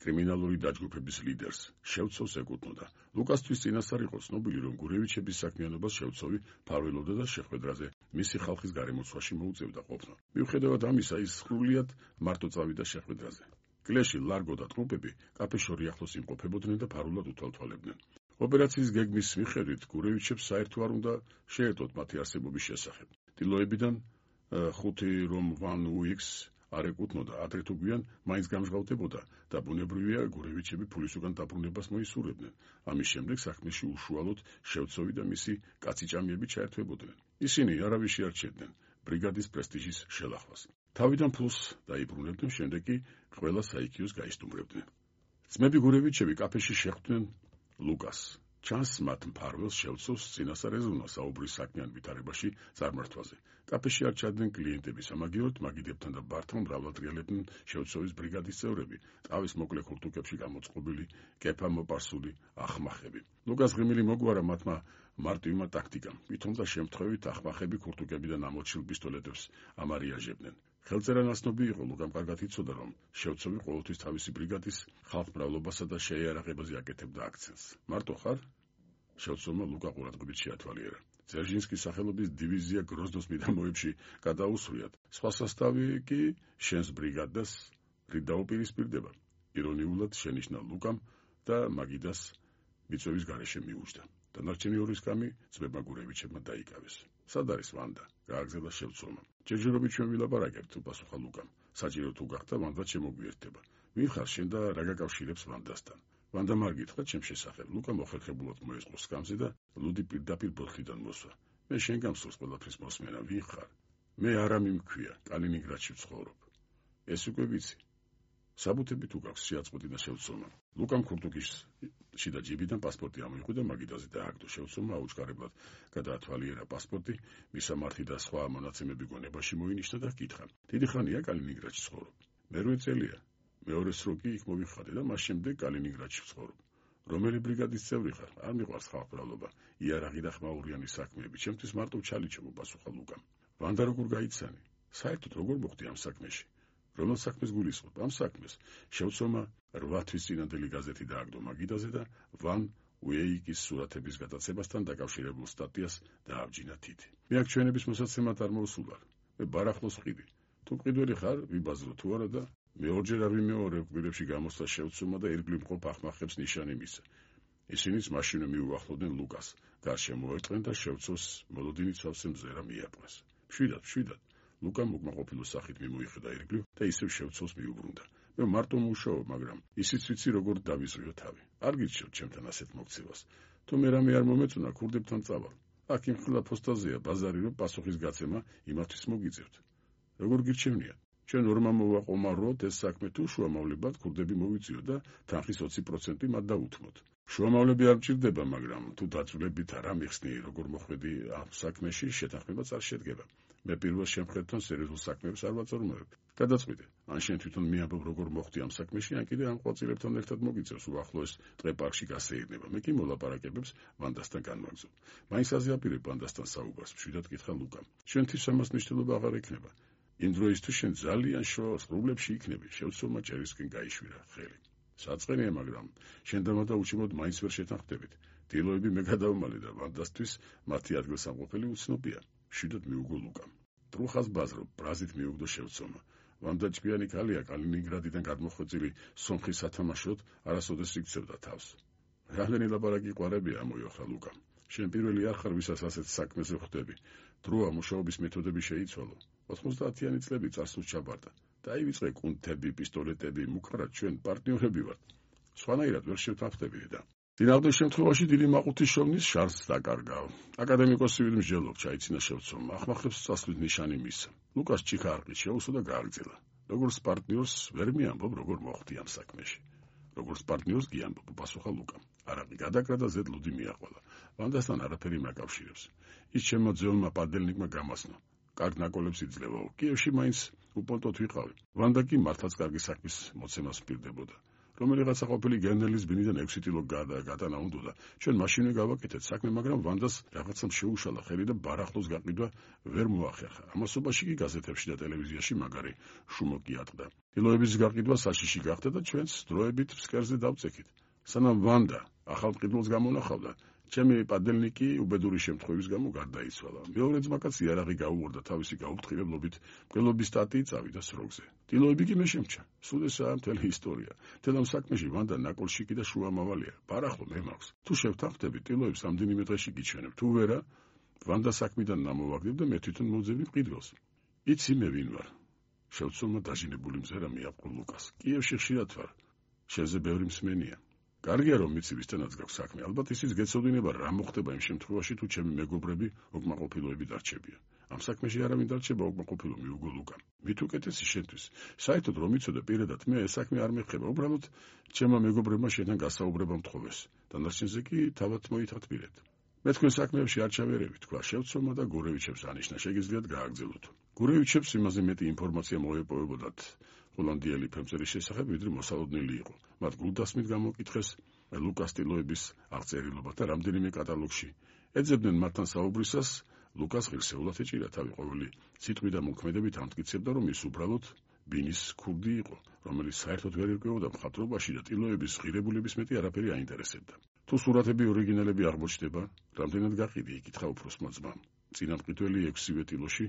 კრიმინალური დაჯგუფების ლიდერს შევცოვს ეკუთვნოდა. ლუკასთვის წინასწარ იყო ცნობილი, რომ გურევიჩების საქმიანობას შევცოვი ფარველობდა და შეხვედრაზე მისი ხალხის გარემოცვაში მოუწევდა ყოფნა. მიუხედავად ამისა, ის სრულიად მარტო წავიდა შეხვედრაზე. კლეში ლარგო და ტრუპები კაფეშორი ახლოს იმყოფებოდნენ და ფარულად უთვალთვალებდნენ. ოპერაციის გეგმის მიხედვით გურევიჩებს საერთო არ უნდა შეერტოთ მათი არსებობის შესახებ. ტილოებიდან 5 რომ ვან უიქს არ ეკუთვნოდა, ადრე თუ გვიან მაინც გამჟღავდებოდა და ბუნებრივია გურევიჩები ფულის უკან დაბრუნებას მოისურვებდნენ. ამის შემდეგ საქმეში უშუალოდ შევცოვი და მისი კაციჭამიები ჩაერთვებოდნენ. ისინი არავის შეარჩევდნენ ბრიგადის პრესტიჟის შელახვას. თავიდან ფულს დაიბრუნებდნენ, შემდეგ კი ყველა საიქიოს გაისტუმრებდნენ. ძმები გურევიჩები კაფეში შეხვდნენ ლუკას. ჩანს მათ მფარველს შევცოვს წინასწარ ეზრუნა საუბრის საქმიან ვითარებაში წარმართვაზე. კაფეში არ ჩადნენ კლიენტები, სამაგიეროდ მაგიდებთან და ბართან მრავლად ღიალებდნენ შევცოვის ბრიგადის წევრები, ტავის მოკლე ქურთუკებში გამოწყობილი, კეფა მოპარსული ახმახები. ლუკას ღიმილი მოგვარა მათმა მარტივმა ტაქტიკამ. თვითონ და შემთხვევით ახმახები ქურთუკებიდან ამოჩილ პისტოლეტებს ამარიაჟებდნენ. ხელწერა ნაცნობი იყო, ლუკამ კარგად იცოდა, რომ შევცოვი ყოველთვის თავისი ბრიგადის ხალხმრავლობასა და შეიარაღებაზე აკეთებდა აქცენტს. მარტო ხარ? შევცოვმა ლუკა ყურადღებით შეათვალიერა. ძერჟინსკის სახელობის დივიზია გროზნოს მიდამოებში გადაუსვიათ. სხვა სასტავი კი შენს ბრიგადას რით დაუპირისპირდება. ირონიულად შენიშნა ლუკამ და მაგიდას მიწვევის გარეშე მიუჯდა. დანარჩენი ორის კამი ძმებმა გურევიჩებმა დაიკავეს. სად არის ვანდა? გააგზავნა შევცოვმა. ჯერჯერობით ჩვენ ვილაპარაკებთ, უპასუხა ლუკამ. საჭირო თუ გახდა, ვანდა შემოგვიერთდება. ვინ ხარ შენ და რა გაკავშირებს ვანდასთან? ვანდა არ გითხრა ჩემ შესახებ. ლუკა მოხერხებულად მოეწყო სკამზე და ლუდი პირდაპირ ბოთლიდან მოსვა. მე შენ გამსურს ყველაფრის მოსმენა, ვინ ხარ? მე არამი მქვია, კალინინგრადში ვცხოვრობ. ეს უკვე ვიცი. საბუთები თუ გაქვს, შეაწყვეტინა შევცოვმა. ლუკამ ქურთუკის შიდა ჯიბიდან პასპორტი ამოიღო და მაგიდაზე დააგდო. შევცოვმა აუჩქარებლად გადაათვალიერა პასპორტი, მისამართი და სხვა მონაცემები გონებაში მოინიშნა და ჰკითხა. დიდი ხანია კალინინგრადში ვცხოვრობ. მერვე წელია. მეორე სრო კი იქ მოვიხადე და მას შემდეგ კალინინგრადში ვცხოვრობ. რომელი ბრიგადის წევრი ხარ? არ მიყვარს ხალხმრავლობა, იარაღი და ხმაურიანი საქმეები. ჩემთვის მარტო ჩალიჩებო, პასუხა ლუკამ. ვანდა როგორ გაიცანი? საერთოდ როგორ მოხდი ამ საქმეში? რომელ საქმეს გულისხმობ? ამ საქმეს შევცომა 8 თვის წინანდელი გაზეთი დააგდო მაგიდაზე და ვან უეიკის სურათების გადაცემასთან დაკავშირებულ სტატიას დააბჯინა თითი. მე აქ ჩვენების მოსაცემად არ მოვსულარ. მე ბარახლოს ვყიდი. თუ მყიდველი ხარ, ვიბაზრო თუ არა და მეორჯერ არ ვიმეორებ გვირებში გამოსვლა შევცომა და ირგვლივ მყოფ ახმახებს ნიშანი მისცა. ისინიც მაშინვე მიუახლოვდნენ ლუკას, გარშემო მოერტყნენ და შევცოს მოლოდინი ცალსე მზერა მიაპყრეს. მშვიდად, ლუკამ უკმაყოფილო სახით მიმოიხედა ირგვლივ და ისევ შევცოს მიუბრუნდა. მე მარტო მუშაობ, მაგრამ ისიც ვიცი როგორ დავიზღვიო თავი. არ გირჩევთ ჩემთან ასეთ მოქცევას. თუ მე რამე არ მომეწონა, ქურდებთან წავალ. აქ იმხილა ფოსტაზეა ბაზარი, რომ პასუხის გაცემა იმათთვის მოგიწევთ. როგორ გირჩევნიათ? ჩვენ ორმამ მოვაყომაროთ ეს საქმე თუ შუამავლებად ქურდები მოვიწიო და თანხის 20% მათ დავუთმოთ. შუამავლები არ მჭირდება, მაგრამ თუ დაწვრილებით არ ამიხსნი, როგორ მოხვედი ამ საქმეში, შეთანხმებაც არ შედგება. მე პირველ შემხედთან სერიოზულ საქმეებს არ ვაწარმოებ. გადაწყვიტე, ან შენ თვითონ მიამბობ როგორ მოხვდი ამ საქმეში, ან კიდე ამ ყვაწილებთან ერთად მოგიწევს უახლოეს ტყე პარკში გასეირნება. მე კი მოლაპარაკებებს ვანდასთან განვაგზობ. მაინც აზიაპირებ ვანდასთან საუბარს, მშვიდად კითხა ლუკამ. შენთვის ამას მნიშვნელობა აღარ ექნება. იმ დროისთვის შენ ძალიან შორს პრობლემებში იქნები. შევცომა ჭერისკენ გაიშვირა ხელი. საწყენია, მაგრამ შენ და მადა უჩიმოდ მაინც ვერ შეთანხმდებით. დილოები მე გადავმალე და ვანდასთვის მათი ადგილსამყოფელი უცნობია. მშვიდად მიუგო ლუკამ. ტრუხას ბაზრობ, ბრაზით მიუგდო შევცომა. ვანდა ჭკვიანი კალია კალინინგრადიდან გადმოხვეწილი სომხის სათამაშოდ არასოდეს იქცევდა თავს. რამდენი ლაპარაკი ყვარებია ამოიოხრა ლუკამ. შენ პირველი არ ხარ, ვისაც ასეთ საქმეზე ხვდები. დროა მუშაობის მეთოდები შეიცვალო. 90-იანი წლები წარსულს ჩაბარდა. დაივიწყე კუნთები, პისტოლეტები, მუქარად ჩვენ პარტნიორები ვართ. სხვანაირად ვერ შევთანხმდები და წინააღმდეგ შემთხვევაში დიდი მაყუთის შოვნის შარს დაკარგავ. აკადემიკოსი ვით მსჯელობ, ჩაიცინა შევცომა. ახმახებს წასვლის ნიშანი მისცა. ლუკას ჩიქა არყით შეუსო და გააგრძელა. როგორც პარტნიორს ვერ მიამბობ, როგორ მოხვდი ამ საქმეში. როგორც პარტნიორს გიამბობ, პასუხა ლუკამ. არაყი გადაკრა და ზედ ლუდი მიაყოლა. ვანდასთან არაფერი მაკავშირებს. ის ჩემო ძეულმა პადელნიკმა გამასნა. კარგ ნაკოლებს იძლევაო. კიევში მაინც უპონტოთ ვიყავი. ვანდა კი მართლაც კარგი საქმის მოცემას პირდებოდა. რომელიღაცა ყოფილი გენერლის ბინიდან 6 ტილო გადატანა უნდოდა. ჩვენ მაშინვე გავაკეთეთ საქმე, მაგრამ ვანდას რაღაცამ შეუშალა ხელი და ბარახლოს გაყიდვა ვერ მოახერხა. ამასობაში კი გაზეთებში და ტელევიზიაში მაგარი შუმოკი ატყდა. ტილოების გაყიდვა საშიში გახდა და ჩვენს დროებით ფსკერზე დავწექით. სანამ ვანდა ახალ მყიდველს გამონახავდა, ჩემი პადელნიკი უბედური შემთხვევის გამო გარდაიცვალა. მეორე ძმაკაცი იარაღი გაუღორდა თავისი გაუფრთხილებლობით, მკვლელობის სტატიი წავიდა სროგზე. ტილოები კი მე შემჩა. სულ ესაა მთელი ისტორია. მთელ ამ საქმეში ვანდა ნაკოლშიკი და შუამავალია. ბარახლო მე მაქვს. თუ შევთანხმდები, ტილოებს ამდენიმე დღეში გიჩვენებ. თუ ვერა, ვანდა საქმიდან ნამოვაგდებ და მე თვითონ მოვძებნი მყიდველს. იცი მე ვინ ვარ? შევცომა დაჟინებული მზერა მიაპყრო ლუკას. კიევში ხშირად ვარ. შენზე ბევრი მსმენია. კარგია რომ მიცი ვისთანაც გაქვს საქმე. ალბათ ისიც გეცოდინება რა მოხდება იმ შემთხვევაში, თუ ჩემი მეგობრები უკმაყოფილოები დარჩებიან. ამ საქმეში არავინ დარჩება უკმაყოფილო, მიუგო ლუკამ. მით უკეთესი შენთვის. საერთოდ რომ იცოდე პირადად მე ეს საქმე არ მეხება. უბრალოდ ჩემმა მეგობრებმა შენთან გასაუბრება მთხოვეს. დანარჩენზე კი თავად მოითათბირეთ. მე თქვენ საქმეებში არ ჩავერევი, თქვა შევცომა და გურევიჩებს ანიშნა. შეგიძლიათ გააგრძელოთ. გურევიჩებს იმაზე მეტი ინფორმაცია მოეპოვებოდათ ჰოლანდიელი ფერმერის შესახებ, ვიდრე მოსალოდნელი იყო. მათ გულდასმით გამოკითხეს ლუკას ტილოების აღწერილობა და რამდენიმე კატალოგში. ეძებდნენ მათთან საუბრისას, ლუკას ღირსეულად ეჭირა თავი. ყოველი სიტყვი და მოქმედებით ამტკიცებდა, რომ ის უბრალოდ ბინის ქურდი იყო, რომელიც საერთოდ ვერ ირკვეოდა მხატვრობაში და ტილოების ღირებულების მეტი არაფერი აინტერესებდა. თუ სურათები ორიგინალები აღმოჩნდება, რამდენად გაყიდი, იკითხა უფროსმა ძმამ. წინა მყიდველი 6-ვე ტილოში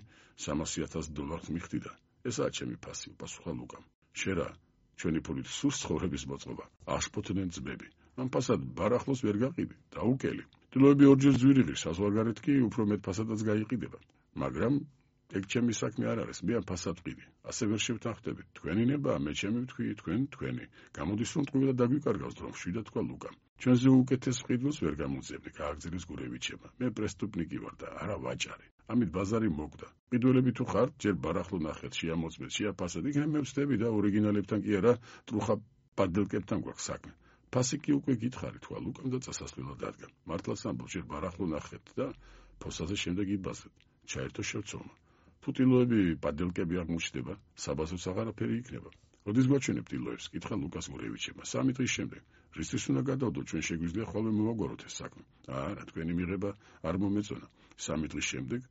$300,000 მიხდიდა. ესაა ჩემი ფასი, პასუხა ლუკამ. შერა, ჩვენი ფულით სურს ცხოვრების მოწყობა. აშფოთდნენ ძმები. ამ ფასად ბარახლოს ვერ გაყიდი, დაუკელი. ტილოები ორჯერ ძვირიღი, საზღვარგარეთ კი უფრო მეტ ფასადაც გაიყიდება. მაგრამ ეგ ჩემი საქმე არ არის, მე ამ ფასად ვყიდი. ასე ვერ შევთანხმდებით. თქვენი ნება, მე ჩემი ვთქვი, თქვენ თქვენი. გამოდის რომ ტყუილად დაგვიკარგავს დრო, მშვიდად თქვა ლუკამ. ჩვენზე უკეთეს მყიდველს ვერ გამოძებნი, გააგრძელეს გურევიჩება. მე პრესტუპნიკი ვარ და არა ვაჭარი. ამით ბაზარი მოკვდა. მყიდველები თუ ხართ, ჯერ ბარახლო ნახეთ, შეამოწმეთ, შეაფასეთ, იქნებ მე ვწდები და ორიგინალებთან კი არა, ტრუხა პადელკებთან გვაქვს საქმე. ფასი კი უკვე გითხარი, თქვა ლუკამ და წასასვლელად დადგა. მართლაც ამბობ, ჯერ ბარახლო ნახეთ და ფოსაზე შემდეგ იბაზრეთ. ჩაერთო შევცომა. თუ ტილოები პადელკები აღმოჩნდება, საბაზოც აღარაფერი იქნება. როდის გვაჩვენებ ტილოებს? კითხა ლუკას გურევიჩება. 3 დღის შემდეგ. რისთვის უნდა გადავდო, ჩვენ შეგვიძლია ხოლმე მოვაგვაროთ ეს საქმე. არა, თქვენი მიღება არ მომეწონა. 3 დღის შემდეგ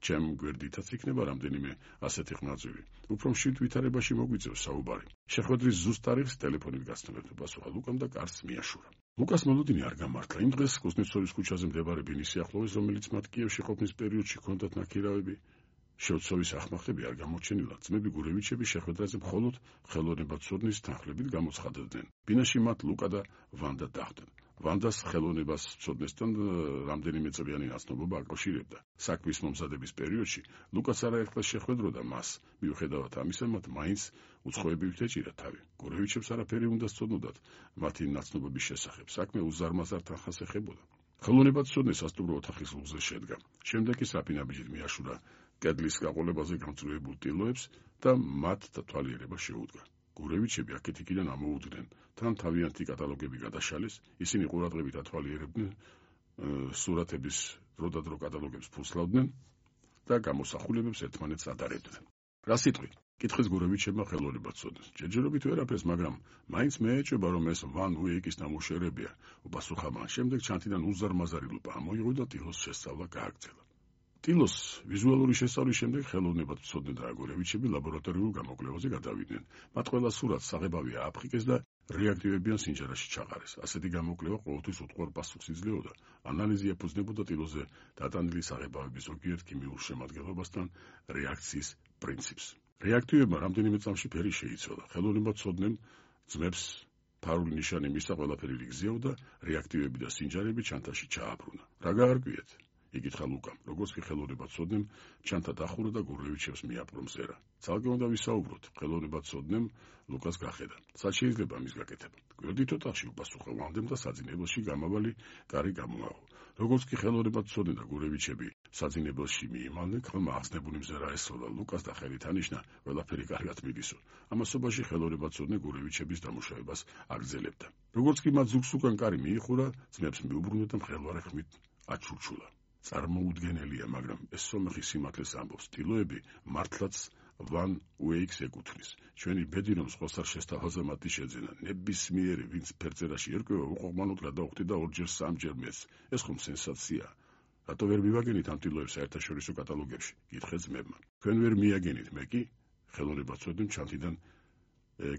ჩემ გვერდითაც იქნება რამდენიმე ასეთი ხმაწვივი. უფრო მშვიდ ვითარებაში მოგვიწევს საუბარი. შეხვედრის ზუსტ ტარიხს ტელეფონით გაცნობთ, პასუხა ლუკამ და კარს მიაშურა. ლუკას მოლოდინი არ გამართლა. იმ დღეს კუსნეცოვის ქუჩაზე მდებარე ბინის სიახლოვეს, რომელიც მათ კიევში ყოფნის პერიოდში ჰქონდათ ნაქირავები, შევცოვის ახმახტები არ გამოჩენილად, ძმები გურევიჩები შეხვედრაზე მხოლოდ ხელოვნებაცოდნის თანხლებით გამოცხადებდნენ. ბინაში მათ ლუკა და ვანდა დახვდნენ. ვანდას ხელოვნებას ცოდნესთან რამდენიმე წლიანი ნაცნობობა აკავშირებდა. საქმის მომზადების პერიოდში ლუკას არაერთხელ შეხვედროდა მას, მიუხედავად ამისა, მათ მაინც უცხოები ვთეჭირა თავი. გურევიჩებს არაფერი უნდა სწოდნოდათ მათი ნაცნობების შესახებ. საქმე უზარმაზარ თანხას ეხებოდა. ხელოვნებაცოდნე სასტუმრო ოთახის ლუგზე შედგა. შემდეგ ის რაფინაბიჯით მიაშურა კედლის გაყოლებაზე გამწვევებულ ტილოებს და მათ თვალიერება შეუდგა. გურევიჩები აქეთ-იქიდან ამოუდგნენ, თან თავიანთი კატალოგები გადაშალეს, ისინი ყურადღებით ათვალიერებდნენ სურათების დროდადრო კატალოგებს ფუსლავდნენ და გამოსახულებებს ერთმანეთს ადარებდნენ. რა სიტყვი? კითხეს გურევიჩებმა ხელოვნებაცოდნეს. ჯერჯერობით ვერაფერს, მაგრამ მაინც მეეჭვება, რომ ეს ვან უეიკის ნამუშევრებია, უპასუხა მან. შემდეგ ჩანთიდან უზარმაზარი ლუპა ამოიღო და ტილოს შესწავლა გააგრძელა. ტილოს ვიზუალური შესწავლის შემდეგ ხელოვნებაცოდნე და გურევიჩები ლაბორატორიულ გამოკვლევაზე გადავიდნენ. მათ ყველა სურათს საღებავი ააფრიკეს და რეაქტივებიან სინჯარაში ჩაყარეს. ასეთი გამოკვლევა ყოველთვის უთხოვარ პასუხს იძლეოდა. ანალიზი ეფუძნებოდა ტილოზე დატანილი საღებავების ზოგიერთ ქიმიურ შემადგენლობასთან რეაქციის პრინციპს. რეაქტივებმა რამდენიმე წამში ფერი შეიცვალა. ხელოვნებაცოდნემ ძმებს ფარული ნიშანი მისცა, ყველაფერი რიგზეო და რეაქტივები და სინჯარები ჩანთაში ჩააბრუნა. რა გაარკვიეთ? იკითხა ლუკამ, როგორც კი ხელოვნებაცოდნემ ჩანთა დახურა და გურევიჩებს მიაპყრო მზერა. ცალკე უნდა ვისაუბროთ, ხელოვნებაცოდნემ ლუკას გახედა. სად შეიძლება მის გაკეთება? გვერდით ოთახში, უპასუხა ვანდემ და საძინებელში გამავალი კარი გამოაყო. როგორც კი ხელოვნებაცოდნე და გურევიჩები საძინებელში მიიმალნენ, ხელმა ახსნებული მზერა ესროლა ლუკას და ხელით ანიშნა, ყველაფერი კარგად მიდისო. ამასობაში ხელოვნებაცოდნე გურევიჩების დამუშავებას აგრძელებდა. როგორც კი მათ ზუგს უკან კარი მიიხურა, ძმებს მიუბრუნდა და მღელვარე ხმით აჩურჩულა. წარმოუდგენელია, მაგრამ ეს სომეხი სიმართლეს ამბობს. ტილოები მართლაც ვან უეიქს ეკუთვნის. ჩვენი ბედი რომ სხვას არ შესთავაზა მათი შეძენა. ნებისმიერი, ვინც ფერწერაში ერკვევა, უყოყმანოდ გადაუხდი და ორჯერ სამჯერ მეც. ეს ხომ სენსაციაა. რატო ვერ მივაგენით ამ ტილოებს საერთაშორისო კატალოგებში? კითხეს ძმებმა. თქვენ ვერ მიაგენით, მე კი ხელოვნებაცოდნემ ჩანთიდან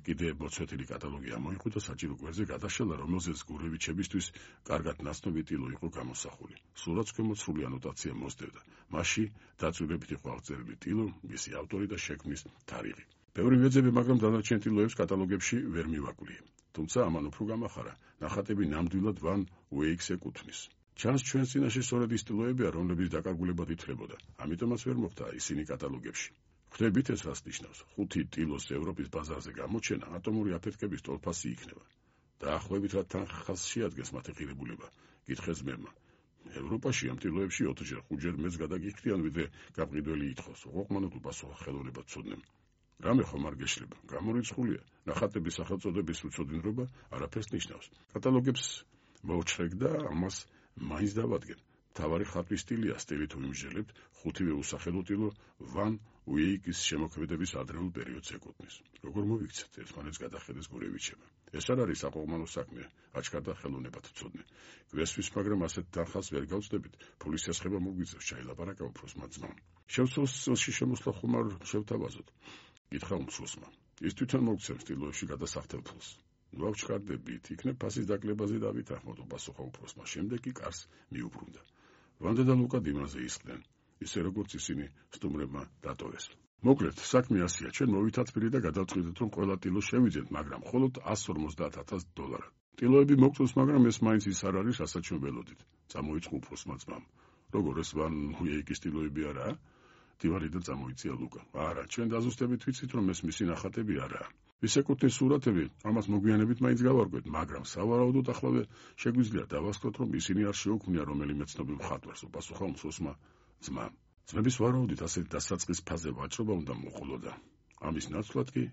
კიდე მოცვეთილი კატალოგი ამოიღო და საჭირო გვერდზე გადაშალა, რომელზეც გურევიჩებისთვის კარგად ნაცნობი ტილო იყო გამოსახული. სულაც ქვემოთ სრული ანოტაცია მოსდევდა. მასში დაწვრილებით იყო აღწერილი ტილო, მისი ავტორი და შექმნის თარიღი. ბევრი ვეძები, მაგრამ დანარჩენ ტილოებს კატალოგებში ვერ მივაკვლიე. თუმცა ამან უფრო გამახარა, ნახატები ნამდვილად ვან უეიქს ეკუთვნის. ჩანს ჩვენს წინაშე სწორედ ის ტილოებია, რომლებიც დაკარგულებად ითვლებოდა. ამიტომაც ვერ მოხდა ისინი კატალოგებში. ხვდებით ეს რას ნიშნავს? 5 ტილოს ევროპის ბაზარზე გამოჩენა ატომური აფეთქების ტოლფასი იქნება. დაახლოებით რა თანხას შეადგენს მათი ღირებულება? კითხეს ძმებმა. ევროპაში ამ ტილოებში 4-ჯერ 5-ჯერ მეც გადაგიხდიან, ვიდრე გაყიდველი ითხოვს. უყმანოდ უპასუხა ხელოვნებაცოდნემ. რამე ხომ არ გეშლება? გამორიცხულია. ნახატების სახელწოდების უცოდინრობა არაფერს ნიშნავს. კატალოგებს მოვჩრეკ და ამას მაინც დავადგენ. თავარი ხატვის სტილია, სტილი თუ იმჟელებთ, 5-ვე usახელო ტილო ვან უეიკის შემოქმედების ადრეულ პერიოდს ეკუთვნის. როგორ მოვიქცეთ? ერთმანეთს გადახედეს გურევიჩებმა. ეს არ არის საყოყმანო საქმე, აჩქარდა ხელოვნებაცოდნე. გვესვის, მაგრამ ასეთ თანხას ვერ გავწდებით. ფულის სესხება მოგვიწევს, ჩაილაპარაკა უფროსმა ძმამ. შევცვალ წელში შემოსვლა ხომ არ შევთავაზოთ? კითხა უმცროსმა. ის თვითონ მოგცემს ტილოებში გადასახდელ ფულს. ვავჩქარდებით, იქნებ ფასის დაკლებაზე დავითანხმოთ, უპასუხა უფროსმა. შემდეგ კი კარს მიუბრუნდა. ვანდა და ლუკა დიმანზე ისხდნენ, ისე როგორც ისინი სტუმრებმა დატოვეს. მოკლედ, საქმე ასეა, ჩვენ მოვითათბირი და გადავწყვიტეთ, რომ ყველა ტილო შევიძენთ, მაგრამ მხოლოდ $150,000. ტილოები მოგწონს, მაგრამ ეს მაინც ის არ არის, რასაც ჩვენ ველოდით. წამოიწყო უფროსმა ძმამ. როგორ ეს ვან უეიკის ტილოები არაა? დივარი და წამოიწია ლუკა. არა, ჩვენ დაზუსტებით ვიცით, რომ ეს მისი ნახატები არაა. ვის ეკუთვნის სურათები, ამას მოგვიანებით მაინც გავარკვევთ, მაგრამ სავარაუდოდ ახლავე შეგვიძლია დავასწროთ, რომ ისინი არ შეუქმნია რომელიმე ცნობილ მხატვარს, უპასუხა უმცროსმა ძმამ. ძმების ვარაუდით ასეთი დასაწყის ფაზე ვაჭრობა უნდა მოყოლოდა. ამის ნაცვლად კი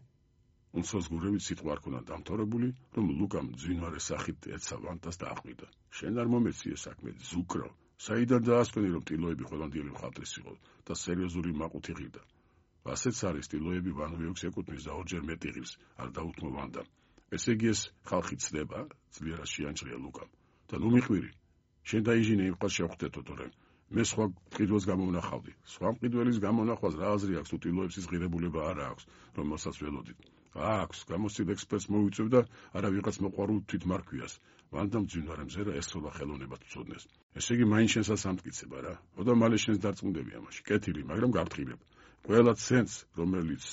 უმცროს გურევით სიტყვა არ ქონდა დამთავრებული, რომ ლუკამ ძვინვარე სახით ეცა ვანდას და აყვიდა. შენ არ მომეციე საქმე, ზუკრო. საიდან დაასკვენი, რომ ტილოები ყველანდელი მხატვრის იყო და სერიოზული მაყუთი ღირდა. ასეც არის, ტილოები ვან უეიქს ეკუთვნის და ორჯერ მეტი ღირს, არ დაუთმო ვანდამ. ესე იგი ეს ხალხი ცდება, ძლიერად შეანჭრია ლუკამ. და ნუ მიყვირი. შენ დაიჟინე იმ ყავს შევხვდეთო, თორემ მე სხვა მყიდველს გამოვნახავდი. სხვა მყიდველის გამონახვას რა აზრი აქვს თუ ტილოებს ის ღირებულება არ აქვს, რომელსაც ველოდით. აქვს, გამოსცილ ექსპერტს მოვიწევ და არა ვიღაც მოყვარულ თვითმარქვიას. ვანდამ ძინვარე მზერა ესწრება ხელოვნებად ვწოდნეს. ესე იგი მაინც შენსაც ამტკიცება რა. ხოდა მალე შენს დარწმუნდები ამაში. კეთილი, მაგრამ გაფრთხილებ. ყველა ცენტს, რომელიც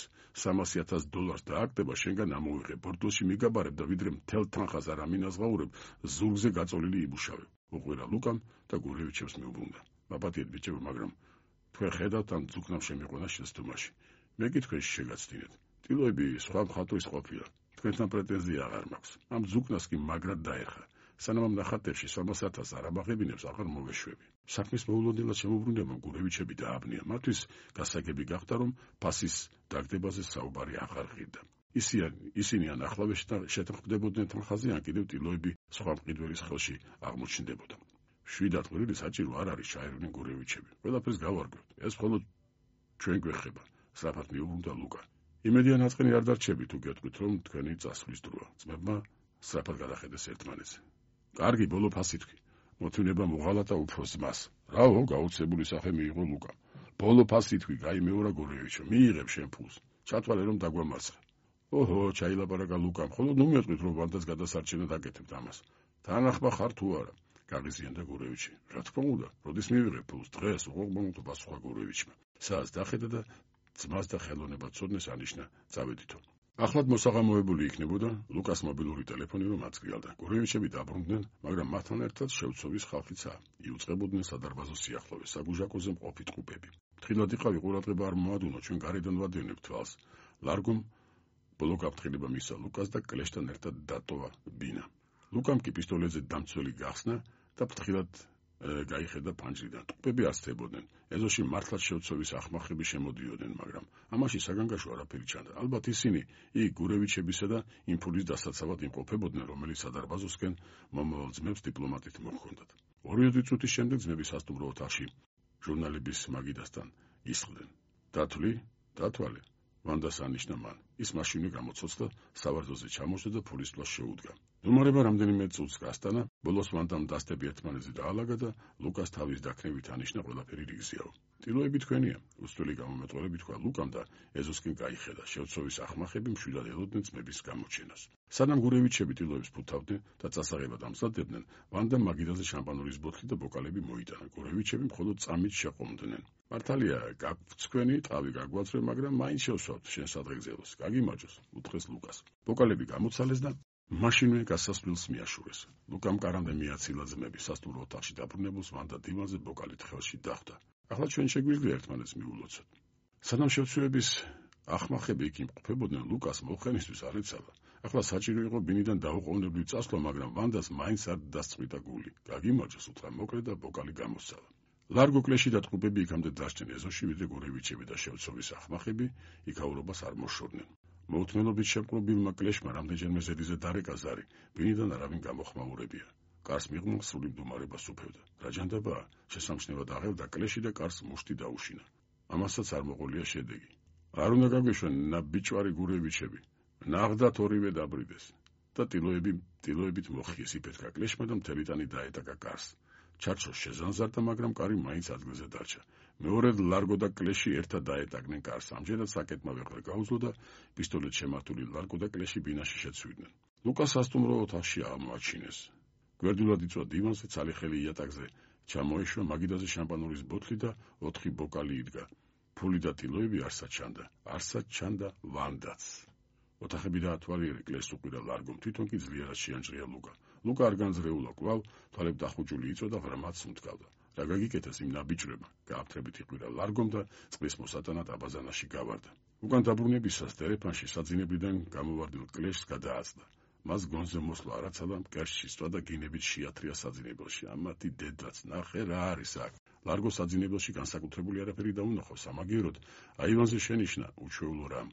$300,000 დააგდება, შენგან ამოვიღებ. ბორდოში მიგაბარებ და ვიდრე მთელ თანხას არ ამინაზღაურებ, ზურგზე გაწოლილი იბუშავებ. უყვირა ლუკამ და გურევიჩებს მიუბრუნდა. მაპატიეთ ბიჭებო, მაგრამ თქვენ ხედავთ ამ ძუკნამ შემიყვანა შეცდომაში. მე კი თქვენში შეგაცდინეთ. ტილოები სხვა მხატვრის ყოფილა. თქვენთან პრეტენზია აღარ მაქვს. ამ ძუკნას კი მაგრად დაერხა. სანამ ამ ნახატებში $300,000 არ ამაღებინებს, აღარ მოვეშვები. საქმის მოულოდნელად შემოbrunდება გურევიჩები დააბნია. მათთვის გასაგები გახდა, რომ ფასის დაგდებაზე საუბარი აღარ ღირდა. ისინი ან ახლავე შეთანხმდებოდნენ თანხაზე, ან კიდევ ტილოები სხვა მყიდველის ხელში აღმოჩნდებოდა. 7 კვირილი საჭირო არ არის ჩაერვნენ გურევიჩები. ყველაფერს გავარკვევთ. ეს მხოლოდ ჩვენ გვეხება. სწრაფად მიუბრუნდა ლუკა. იმედია ნაწყენი არ დარჩები თუ გეტყვით, რომ თქვენი წასვლის დროა. ძმებმა სწრაფად გადახედეს ერთმანეთს. კარგი, ბოლო ფასი თქვი. მოთმინება მოღალატა უფროს ძმას. რაო, გაუცებული სახე მიიღო ლუკამ. ბოლო ფასი თქვი, გაიმეორა გურევიჩო, მიიღებ შენ ფულს. ჩათვალე რომ დაგვამარცხე. ოჰო, ჩაილაპარაკა ლუკამ, ხოლო ნუ მეტყვით რომ ვანდას გადასარჩენად აკეთებთ ამას. თანახმა ხარ თუ არა? გაღიზიანდა გურევიჩი. რა თქმა უნდა, როდის მივიღებ ფულს? დღეს, უყურებელო პასუხა გურევიჩმა. საას დახედა და ძმას და ხელოვნებად ცოდნეს ანიშნა, წავედითო. ახლად მოსაღამოებული იქნებოდა ლუკას მობილური ტელეფონი, რომ აწკრიალდა. გურევიჩები დაბრუნდნენ, მაგრამ მათთან ერთად შევცოვის ხალხიცა. იუწყებოდნენ სადარბაზო სიახლოვეს, საგუჟაკოზე მყოფი ტყუპები. ფრთხილად იყავი, ყურადღება არ მოადუნო, ჩვენ გარედან ვადევნებთ თვალს. ლარგომ ბოლო გაფრთხილება მისცა ლუკას და კლეშთან ერთად დატოვა ბინა. ლუკამ კი პისტოლეტზე დამცველი გახსნა და ფრთხილად გაიხედა ფანჯრიდან. ტყუპები ასწებოდნენ. ეზოში მართლაც შევცოვის ახმახები შემოდიოდნენ, მაგრამ ამაში საგანგაშო არაფერი ჩანდა. ალბათ ისინი იქ გურევიჩებისა და იმ ფულის დასაცავად იმყოფებოდნენ, რომელიც სადარბაზოსკენ მომავალ ძმებს დიპლომატით მოჰქონდათ. 2 წუთის შემდეგ ძმები სასტუმრო ოთახში ჟურნალების მაგიდასთან ისხდნენ. დათვალე. ვანდას ანიშნა მან. ის მაშინვე გამოცოცხლა, სავარძოზე ჩამოშდა და ფულის ფლას შეუდგა. დუმარება რამდენიმე წუთს გასტანა, ბოლოს ვანდამ დასტები ერთმანეთზე დაალაგა და ლუკას თავის დაქნევით ანიშნა ყველაფერი რიგზიაო. ტილოები თქვენია, უსწველი გამომეტყველებით თქვა ლუკამ და ეზოსკენ გაიხედა. შევცოვის ახმახები მშვიდად ელოდნენ ძმების გამოჩენას. სანამ გურევიჩები ტილოებს ფუთავდნენ და წასაღებად ამზადებდნენ, ვანდამ მაგიდაზე შამპანურის ბოთლი და ბოკალები მოიტანა. გურევიჩები მხოლოდ წამით შეყომდნენ. მართალია, გაგვც თქვენი ტყავი გაგვაცრე, მაგრამ მაინც შევსვათ შენ სადღეგრძელოს. გაგიმარჯოს, უთხრეს ლუკას. ბოკალები გამოცალეს და მაშინვე გასასვლელს მიაშურეს. ლუკამ კარამდე მიაცილა ძმები. სასტუმრო ოთახში დაბრუნებულს ვანდა დივანზე ბოკალით ხელში დახვდა. ახლა ჩვენ შეგვიძლია ერთმანეთს მიულოცოთ. სანამ შევცვლების ახმახები იქ იმყოფებოდნენ, ლუკას მოხენისთვის არ ეცალა. ახლა საჭირო იყო ბინიდან დაუყოვნებლივ წასვლა, მაგრამ ვანდას მაინც არ დასწყვიტა გული. გაგიმარჯოს, უთხრა მოკლე და ბოკალი გამოსცალა. ლარგო კლეში და ტყუპები იქამდე დასჭენ ეზოში, ვიდრე გურევიჩები და შევცოვის ახმახები იქაურობას არ მოშორდნენ. მოუთმენობით შემკრობილმა კლეშმა რამდენჯერმე ზედიზე დარეკა ზარი, ბინიდან არავინ გამოხმაურებია. კარს მიღმა სრული მდგომარეობას უფევდა. რა ჯანდაბაა? შესამჩნევად აღევდა კლეში და კარს მუშტი დაუშინა. ამასაც არ მოყოლია შედეგი. არ უნდა გაგვეშვენ ნაბიჭვარი გურევიჩები. ნახდათ ორივე დაბრიდეს და ტილოებით მოხიეს იფეთქა კლეშმა და მთელი ტანი დაეტაკა კარს. ჩარჩო შეზანზარდა, მაგრამ კარი მაინც ადგილზე დარჩა. მეორედ ლარგო და კლეში ერთად დაეტაკნენ კარს. ამჯერად საკეტმა ვეღარ გაუძლო და პისტოლეტ შემართული ლარგო და კლეში ბინაში შეცვიდნენ. ლუკას სასტუმრო ოთახში აღმოაჩინეს. გვერდულად იწვა დივანზე, ცალიხელი იატაკზე ჩამოეშვა, მაგიდაზე შამპანურის ბოთლი და 4 ბოკალი იდგა. ფული და ტილოები არსად ჩანდა ვანდაც. ოთახები დაათვალიერე, კლეს უყირა ლარგომ, თვითონ კი ძლიერად შეანჭრია ლუკა. ლუკა არ განძრეულა კვლავ, თვალებ დახუჭული იწვა და ღრმად სუნთქავდა. რა გაგიკეთეს იმ ნაბიჭვრებმა? გააფთრებით იყვირა ლარგომ და წყლის მოსატანად აბაზანაში გავარდა. უკან დაბრუნებისას დერეფანში საძინებლიდან გამოვარდნილ კლეშს გადააწდა. მას გონზე მოსვლა არაცადა, მკერში სწვა და გინებით შეათრია საძინებელში. ამათი დედაც, ნახე რა არის აქ. ლარგო საძინებელში განსაკუთრებული არაფერი დაუნახო, სამაგიეროდ აივანზე შენიშნა უჩვეულო რამ.